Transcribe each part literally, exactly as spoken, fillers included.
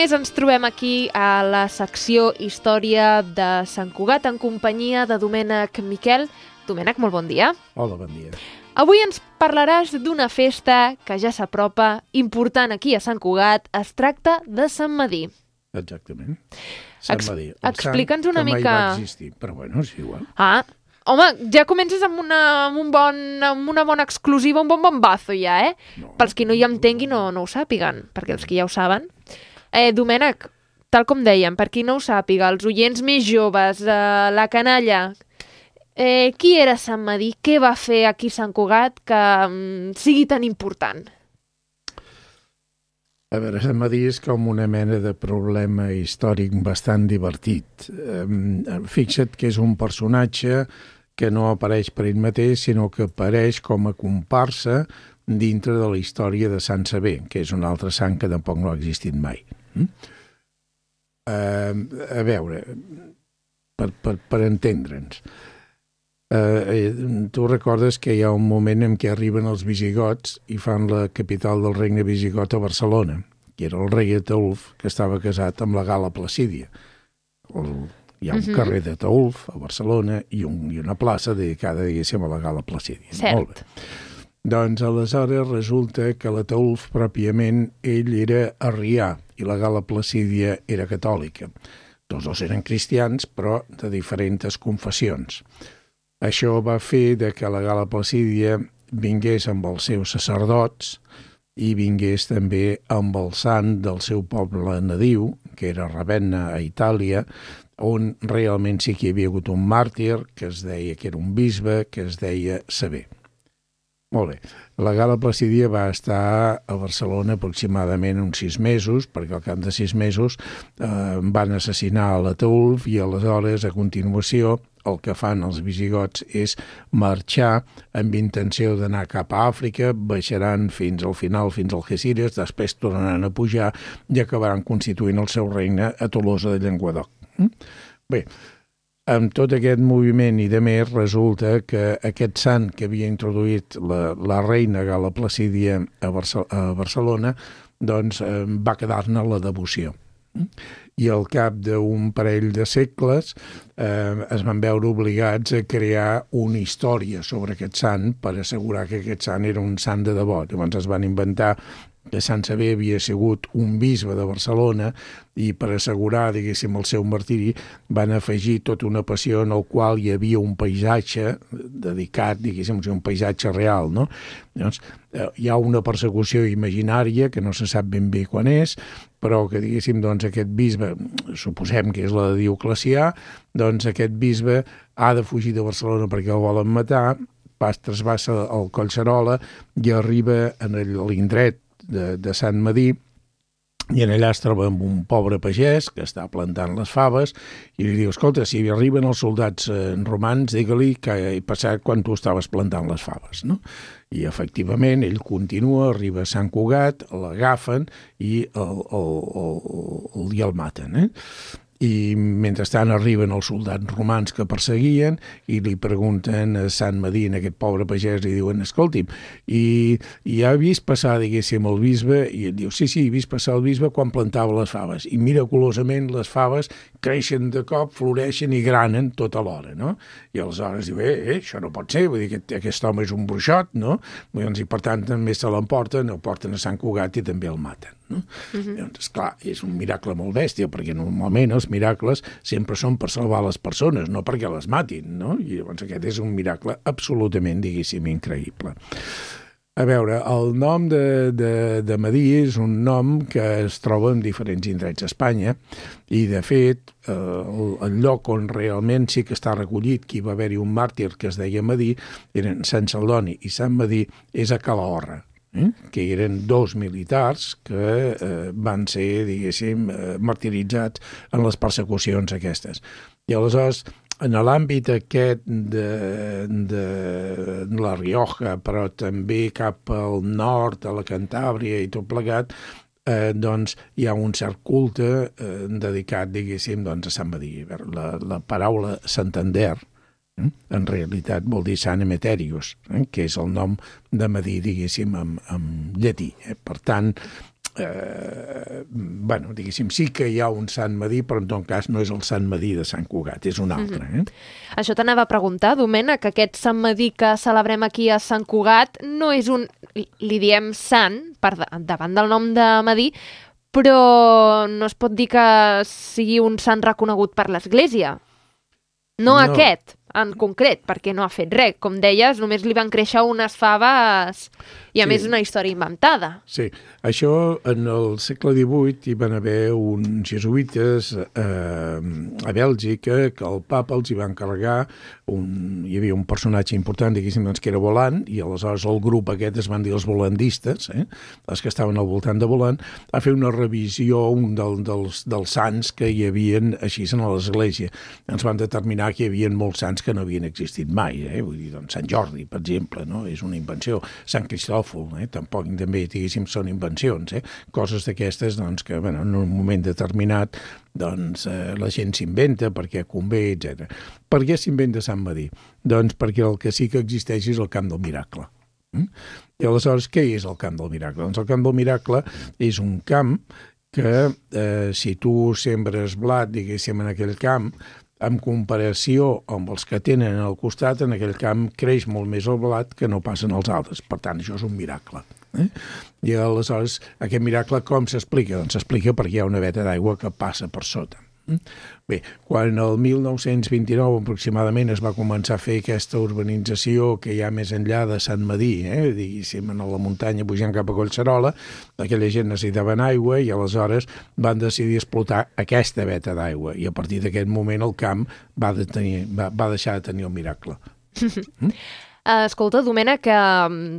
més ens trobem aquí a la secció Història de Sant Cugat en companyia de Domènec Miquel. Domènec, molt bon dia. Hola, bon dia. Avui ens parlaràs d'una festa que ja s'apropa, important aquí a Sant Cugat. Es tracta de Sant Medir. Exactament. Sant Ex Medir. Explica'ns una que mai mica... va existir, però bueno, és igual. Ah, home, ja comences amb una, amb un bon, amb una bona exclusiva, un bon bombazo ja, eh? No. Pels qui no hi entenguin o no ho sàpiguen, perquè els que ja ho saben. Eh, Domènec, tal com dèiem, per qui no ho sàpiga, els oients més joves, eh, la canalla, eh, qui era Sant Medir? Què va fer aquí a Sant Cugat que mm, sigui tan important? A veure, Sant Medir és com una mena de problema històric bastant divertit. Eh, fixa't que és un personatge que no apareix per ell mateix, sinó que apareix com a comparsa dintre de la història de Sant Sever, que és un altre sant que tampoc no ha existit mai. Mm? Uh, a veure, per, per, per entendre'ns, uh, tu recordes que hi ha un moment en què arriben els visigots i fan la capital del regne visigot a Barcelona, que era el rei Ataulf, que estava casat amb la Gal·la Placídia. El, hi ha un uh-huh. carrer de Ataulf a Barcelona i, un, i una plaça dedicada, diguéssim, a la Gal·la Placídia. Cert. Molt bé. Doncs aleshores resulta que l'Ataulf pròpiament ell era arrià i la Gal·la Placídia era catòlica. Tots dos eren cristians, però de diferents confessions. Això va fer de que la Gal·la Placídia vingués amb els seus sacerdots i vingués també amb el sant del seu poble nadiu, que era Ravenna, a Itàlia, on realment sí que hi havia hagut un màrtir, que es deia que era un bisbe, que es deia Sever. Molt bé. La Gal·la Placídia va estar a Barcelona aproximadament uns sis mesos, perquè al cap de sis mesos eh, van assassinar a l'Ataulf i aleshores, a continuació, el que fan els visigots és marxar amb intenció d'anar cap a Àfrica, baixaran fins al final, fins al Algeciras, després tornaran a pujar i acabaran constituint el seu regne a Tolosa de Llenguadoc. Mm? Bé, amb tot aquest moviment i de més, resulta que aquest sant que havia introduït la, la reina Gal·la Placídia a, Barce a Barcelona, doncs eh, va quedar-ne la devoció. I al cap d'un parell de segles eh, es van veure obligats a crear una història sobre aquest sant per assegurar que aquest sant era un sant de debò. Llavors es van inventar que Sant Sever havia sigut un bisbe de Barcelona i per assegurar, diguéssim, el seu martiri van afegir tota una passió en el qual hi havia un paisatge dedicat, diguéssim, un paisatge real, no? Llavors, hi ha una persecució imaginària que no se sap ben bé quan és, però que, diguéssim, doncs aquest bisbe, suposem que és la de Dioclecià, doncs aquest bisbe ha de fugir de Barcelona perquè el volen matar, pas trasbassa el Collserola i arriba a l'indret De, de Sant Medir i en allà es troba amb un pobre pagès que està plantant les faves i li diu, escolta, si arriben els soldats eh, romans, digue-li que he passat quan tu estaves plantant les faves, no? I efectivament ell continua, arriba a Sant Cugat, l'agafen i el, el, el, el, el, el maten, eh? I mentrestant arriben els soldats romans que perseguien i li pregunten a Sant Medir, aquest pobre pagès, i diuen, escolti'm, i, i ha vist passar, diguéssim, el bisbe? I ell diu, sí, sí, he vist passar el bisbe quan plantava les faves. I miraculosament les faves creixen de cop, floreixen i granen tota l'hora, no? I aleshores diu, eh, eh, això no pot ser, vull dir que aquest, aquest home és un bruixot, no? I per tant també se l'emporten, el porten a Sant Cugat i també el maten, no? Uh-huh. Llavors, esclar, és un miracle molt bèstia, perquè normalment els miracles sempre són per salvar les persones, no perquè les matin, no? I llavors aquest és un miracle absolutament, diguéssim, increïble. A veure, el nom de, de, de Medir és un nom que es troba en diferents indrets d'Espanya i, de fet, eh, el, el lloc on realment sí que està recollit que hi va haver-hi un màrtir que es deia Medir, eren Sant Celdoni i Sant Medir, és a Calahorra, eh? que eren dos militars que eh, van ser, diguéssim, eh, martiritzats en les persecucions aquestes. I aleshores, en l'àmbit aquest de, de la Rioja, però també cap al nord, a la Cantàbria i tot plegat, eh, doncs hi ha un cert culte eh, dedicat, diguéssim, doncs, a Sant Medir. La, la paraula Santander, eh, en realitat vol dir Sant Emeterius, eh, que és el nom de Medir, diguéssim, en, en llatí. Eh? Per tant, eh, bueno, diguéssim, sí que hi ha un Sant Medir, però en tot cas no és el Sant Medir de Sant Cugat, és un altre. Eh? Mm-hmm. Això t'anava a preguntar, Domènec, que aquest Sant Medir que celebrem aquí a Sant Cugat no és un... li diem sant, per davant del nom de Medir, però no es pot dir que sigui un sant reconegut per l'Església. No, no aquest, en concret, perquè no ha fet res. Com deies, només li van créixer unes faves i a sí. més una història inventada. Sí, això en el segle divuit hi van haver uns jesuïtes eh, a Bèlgica que el papa els hi va encarregar, un, hi havia un personatge important, diguéssim, doncs, que era Volant, i aleshores el grup aquest es van dir els volandistes, eh, els que estaven al voltant de Volant, a fer una revisió un del, dels, dels sants que hi havien així en l'Església. Ens van determinar que hi havia molts sants que no havien existit mai, eh? Vull dir, doncs, Sant Jordi, per exemple, no? És una invenció. Sant Cristòfol, eh? Tampoc també, diguéssim, són invencions, eh? Coses d'aquestes, doncs, que, bueno, en un moment determinat, doncs, eh, la gent s'inventa perquè convé, etcètera. Per què s'inventa Sant Medir? Doncs perquè el que sí que existeix és el Camp del Miracle. Mm? I aleshores, què és el Camp del Miracle? Doncs el Camp del Miracle és un camp que, eh, si tu sembres blat, diguéssim, en aquell camp, en comparació amb els que tenen al costat, en aquell camp creix molt més el blat que no passen els altres. Per tant, això és un miracle. Eh? I aleshores, aquest miracle com s'explica? Doncs s'explica perquè hi ha una veta d'aigua que passa per sota. Bé, quan el mil nou-cents vint-i-nou aproximadament es va començar a fer aquesta urbanització que hi ha més enllà de Sant Medir, eh? Diguéssim, a la muntanya pujant cap a Collserola, aquella gent necessitava aigua i aleshores van decidir explotar aquesta veta d'aigua i a partir d'aquest moment el camp va, de tenir, va, va deixar de tenir el miracle. Mm? Escolta, Domènec,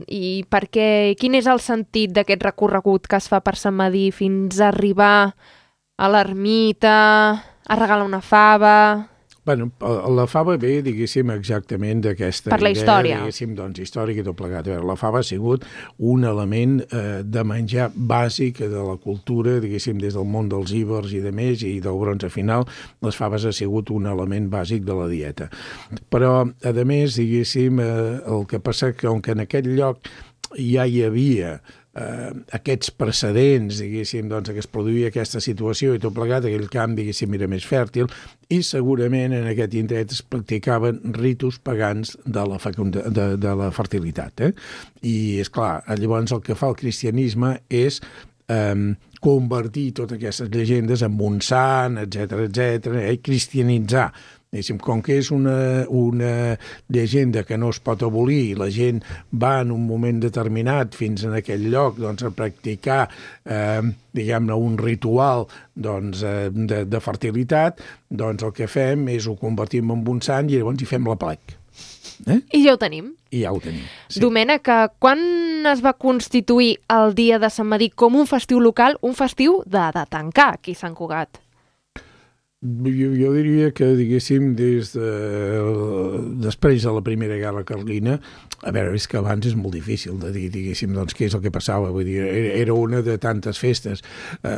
i per què, quin és el sentit d'aquest recorregut que es fa per Sant Medir fins a arribar a l'ermita, a regalar una fava... Bueno, la fava ve, diguéssim, exactament d'aquesta per la idea, història. diguéssim, doncs, històrica i tot plegat. A veure, la fava ha sigut un element eh, de menjar bàsic de la cultura, diguéssim, des del món dels íbers i de més, i del bronze final, les faves ha sigut un element bàsic de la dieta. Però, a més, diguéssim, eh, el que passa que, com que en aquest lloc ja hi havia eh, aquests precedents, diguéssim, doncs, que es produïa aquesta situació i tot plegat, aquell camp, diguéssim, era més fèrtil i segurament en aquest indret es practicaven ritus pagans de la, fecunda, de, de la fertilitat. Eh? I, és clar, llavors el que fa el cristianisme és eh, convertir totes aquestes llegendes en un sant, etcètera, etcètera, eh? cristianitzar. Com que és una, una llegenda que no es pot abolir i la gent va en un moment determinat fins en aquell lloc doncs, a practicar eh, diguem-ne un ritual doncs, eh, de, de fertilitat, doncs el que fem és ho convertim en un sant i llavors hi fem la plec. Eh? I ja ho tenim. I ja ho tenim. Sí. Domènec, quan es va constituir el dia de Sant Medir com un festiu local, un festiu de, de tancar aquí a Sant Cugat? Jo, jo diria que, diguéssim, des de, després de la Primera Guerra Carlina, a veure, és que abans és molt difícil de dir, diguéssim, doncs, què és el que passava. Vull dir, era una de tantes festes. Eh,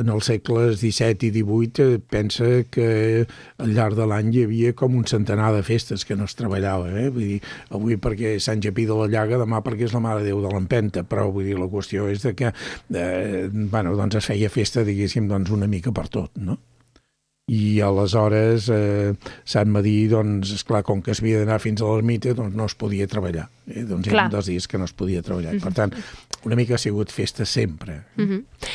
en els segles disset i divuit eh, pensa que al llarg de l'any hi havia com un centenar de festes que no es treballava. Eh? Vull dir, avui perquè és Sant Japí de la Llaga, demà perquè és la Mare de Déu de l'Empenta, però vull dir, la qüestió és de que eh, bueno, doncs es feia festa, diguéssim, doncs, una mica per tot, no? I aleshores eh, Sant Medir, doncs, esclar, com que es havia d'anar fins a l'ermita, doncs no es podia treballar. Eh? Doncs eren dos dies que no es podia treballar. Mm-hmm. Per tant, una mica ha sigut festa sempre. Mm-hmm.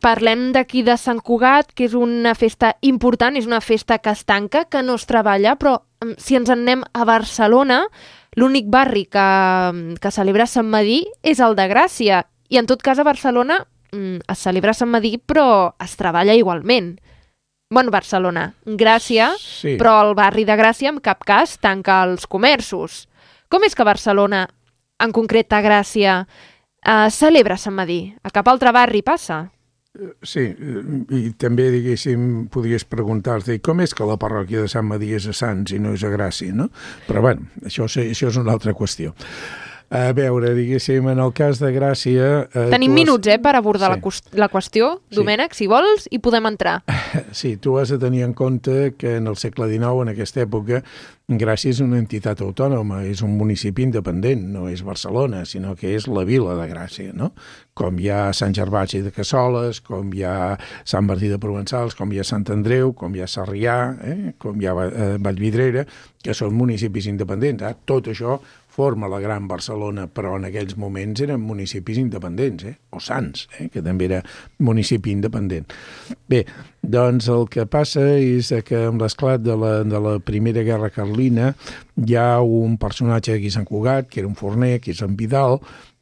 Parlem d'aquí de Sant Cugat, que és una festa important, és una festa que es tanca, que no es treballa, però si ens en anem a Barcelona, l'únic barri que, que celebra Sant Medir és el de Gràcia. I en tot cas a Barcelona es celebra Sant Medir, però es treballa igualment. Bueno, Barcelona, Gràcia, sí. Però el barri de Gràcia en cap cas tanca els comerços. Com és que Barcelona, en concret a Gràcia, eh, celebra Sant Medir? A cap altre barri passa? Sí, i també, diguéssim, podries preguntar-te com és que la parròquia de Sant Medir és a Sants i no és a Gràcia, no? Però, bueno, això, això és una altra qüestió. A veure, diguéssim, en el cas de Gràcia... Eh, Tenim minuts, has... eh, per abordar sí. la, la qüestió. Sí. Domènec, si vols, hi podem entrar. Sí, tu has de tenir en compte que en el segle dinou, en aquesta època, Gràcia és una entitat autònoma, és un municipi independent, no és Barcelona, sinó que és la vila de Gràcia, no? Com hi ha Sant Gervasi de Cassoles, com hi ha Sant Martí de Provençals, com hi ha Sant Andreu, com hi ha Sarrià, eh? com hi ha eh, Vallvidrera, que són municipis independents. Eh? Tot això forma la Gran Barcelona, però en aquells moments eren municipis independents, eh? o Sants, eh? que també era municipi independent. Bé, doncs el que passa és que amb l'esclat de la, de la Primera Guerra Carlina hi ha un personatge aquí a Sant Cugat, que era un forner, que és en Vidal,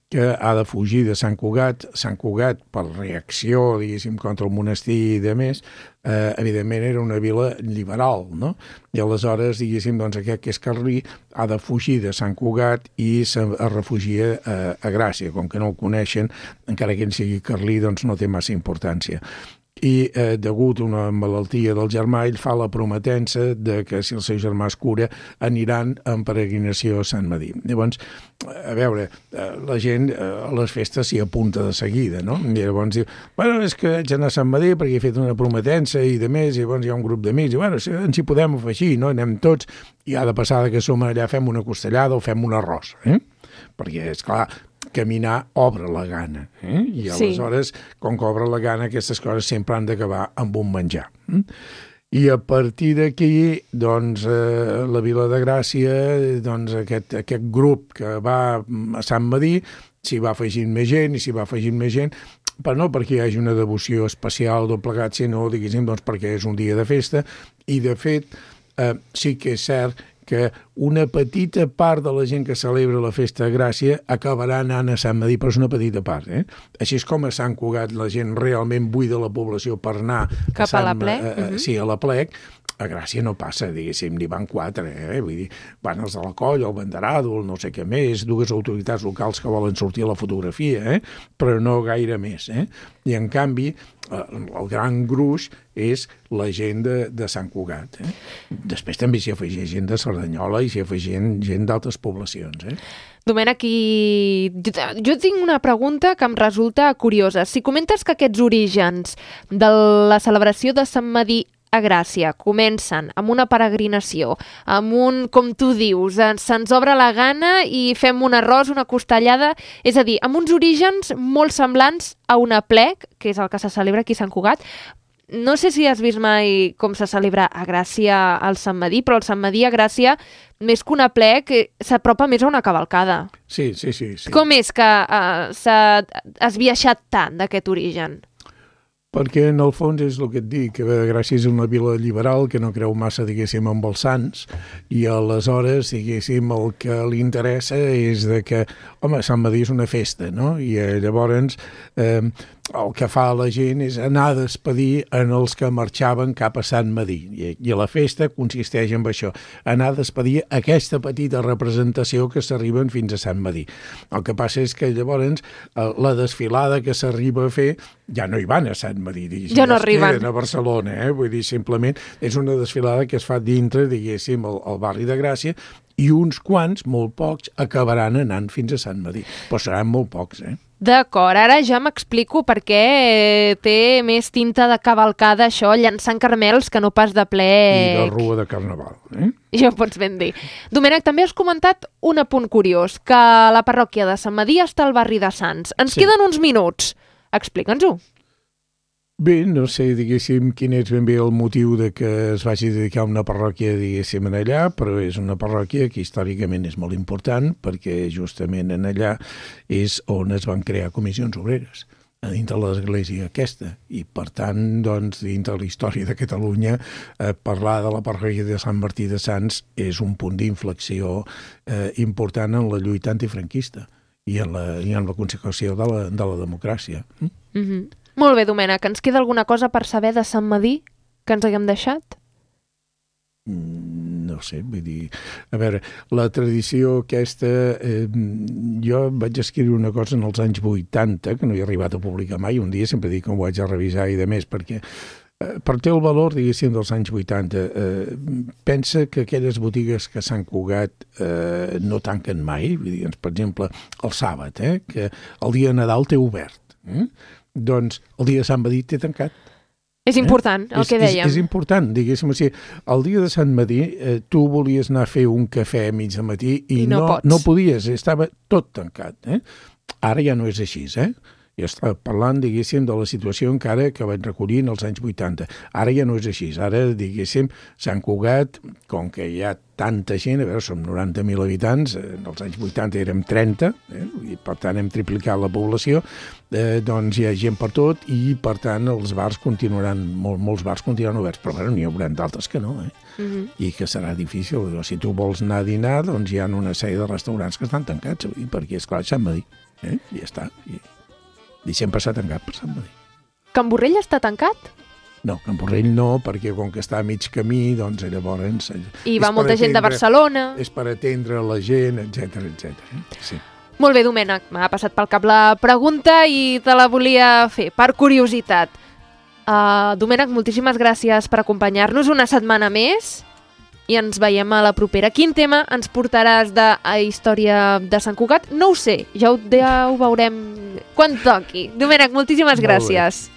que ha de fugir de Sant Cugat. Sant Cugat, per reacció, diguéssim, contra el monestir i de més, eh, evidentment era una vila liberal, no? I aleshores, diguéssim, doncs aquest que és carlí ha de fugir de Sant Cugat i es refugia a, a Gràcia. Com que no el coneixen, encara que ell sigui carlí, doncs no té massa importància. I eh, degut a una malaltia del germà, ell fa la prometença de que si el seu germà es cura aniran en peregrinació a Sant Medir. Llavors, a veure, eh, la gent eh, a les festes s'hi apunta de seguida, no? I llavors diu, bueno, és que haig d'anar a Sant Medir perquè he fet una prometença i de més, i llavors hi ha un grup d'amics, i bueno, si ens hi podem afegir, no? Anem tots, i ha de passar que som allà, fem una costellada o fem un arròs, eh? Perquè, esclar, caminar obre la gana, eh? I aleshores, sí. com que obre la gana, aquestes coses sempre han d'acabar amb un menjar. Eh? I a partir d'aquí, doncs, eh, la Vila de Gràcia, doncs, aquest, aquest grup que va a Sant Medir, s'hi va afegint més gent i s'hi va afegint més gent, però no perquè hi hagi una devoció especial del plegat, sinó, diguéssim, doncs, perquè és un dia de festa, i de fet, eh, sí que és cert que una petita part de la gent que celebra la festa de Gràcia acabarà anant a Sant Medir, però és una petita part. Eh? Així és com a Sant Cugat la gent realment buida la població per anar cap a, Sant, a la Plec. A, a, uh-huh. Sí, a la Plec. A Gràcia no passa, diguéssim, n'hi van quatre, eh? Vull dir, van els de la Colla, el Banderado, el no sé què més, dues autoritats locals que volen sortir a la fotografia, eh? Però no gaire més, eh? I en canvi, el gran gruix és la gent de, de Sant Cugat, eh? Després també s'hi afegeix gent de Cerdanyola i s'hi afegeix gent d'altres poblacions, eh? Domènec, i... jo, jo tinc una pregunta que em resulta curiosa. Si comentes que aquests orígens de la celebració de Sant Medir a Gràcia comencen amb una peregrinació, amb un, com tu dius, se'ns obre la gana i fem un arròs, una costellada, és a dir, amb uns orígens molt semblants a una Plec, que és el que se celebra aquí a Sant Cugat. No sé si has vist mai com se celebra a Gràcia al Sant Medir, però el Sant Medir a Gràcia, més que una Plec, s'apropa més a una cavalcada. Sí, sí, sí. sí. Com és que uh, s'ha esbiaixat tant d'aquest origen? Perquè, en el fons, és el que et dic, que Gràcia és una vila liberal que no creu massa, diguéssim, amb els sants, i aleshores, diguéssim, el que li interessa és de que, home, Sant Medir és una festa, no? I eh, llavors eh, el que fa la gent és anar a despedir en els que marxaven cap a Sant Medir. I, i la festa consisteix en això, anar a despedir aquesta petita representació que s'arriben fins a Sant Medir. El que passa és que llavors la desfilada que s'arriba a fer ja no hi van a Sant Medir, ja no arriben a Barcelona, eh? Vull dir, simplement és una desfilada que es fa dintre, diguéssim, el, el barri de Gràcia, i uns quants, molt pocs, acabaran anant fins a Sant Medir. Però seran molt pocs, eh? D'acord, ara ja m'explico per què té més tinta de cavalcada això, llançant carmels, que no pas de Plec. I de rua de Carnaval, eh? Ja ho pots ben dir. Domènec, també has comentat un apunt curiós, que la parròquia de Sant Medir està al barri de Sants. Ens sí. queden uns minuts. Explica'ns-ho. Bé, no sé, diguéssim, quin és ben bé el motiu de que es vagi dedicar una parròquia, diguéssim, en allà, però és una parròquia que històricament és molt important perquè justament en allà és on es van crear comissions obreres a dintre de l'església aquesta, i per tant, doncs, dintre de la història de Catalunya, eh, parlar de la parròquia de Sant Martí de Sants és un punt d'inflexió eh, important en la lluita antifranquista i en la, i en la consecució de la, de la democràcia. Mm? Mm-hmm. Molt bé, Domènec, ens queda alguna cosa per saber de Sant Medir que ens haguem deixat? No sé, vull dir... A veure, la tradició aquesta... Eh, jo vaig escriure una cosa en els anys vuitanta, que no he arribat a publicar mai, un dia sempre dic que ho vaig a revisar i de més, perquè Per té el valor, diguéssim, dels anys vuitanta. Eh, pensa que aquelles botigues que s'han Cugat eh, no tanquen mai, vull dir, per exemple, el sàbat, eh, que el dia de Nadal té obert. Eh? Doncs el dia de Sant Madí té tancat. És important, eh? el és, que dèiem. És, és important, diguéssim així. El dia de Sant Madí eh, tu volies anar a fer un cafè a mig de matí i, I no, no, pots. no podies, estava tot tancat. Eh? Ara ja no és així, eh? Jo estava parlant, diguéssim, de la situació encara que vaig recollir en els anys vuitanta. Ara ja no és així. Ara, diguéssim, Sant Cugat, com que hi ha tanta gent, a veure, som noranta mil habitants, en els anys vuitanta érem trenta, eh? I per tant hem triplicat la població, eh, doncs hi ha gent per tot i, per tant, els bars continuaran, molt, molts bars continuaran oberts, però bueno, n'hi haurà d'altres que no, eh? Uh-huh. I que serà difícil. Si tu vols anar a dinar, doncs hi ha una sèrie de restaurants que estan tancats, perquè, esclar, Sant Madí, eh? I ja està. I... I sempre s'ha tancat per Sant Madí. Can Borrell està tancat? No, Can Borrell no, perquè com que està a mig camí, doncs llavors... I va molta gent de Barcelona. És per atendre la gent, etcètera, etcètera. Sí. Molt bé, Domènec, m'ha passat pel cap la pregunta i te la volia fer, per curiositat. Uh, Domènec, moltíssimes gràcies per acompanyar-nos una setmana més i ens veiem a la propera. Quin tema ens portaràs de a història de Sant Cugat? No ho sé, ja ho, ja ho veurem quan toqui. Domènec, moltíssimes gràcies.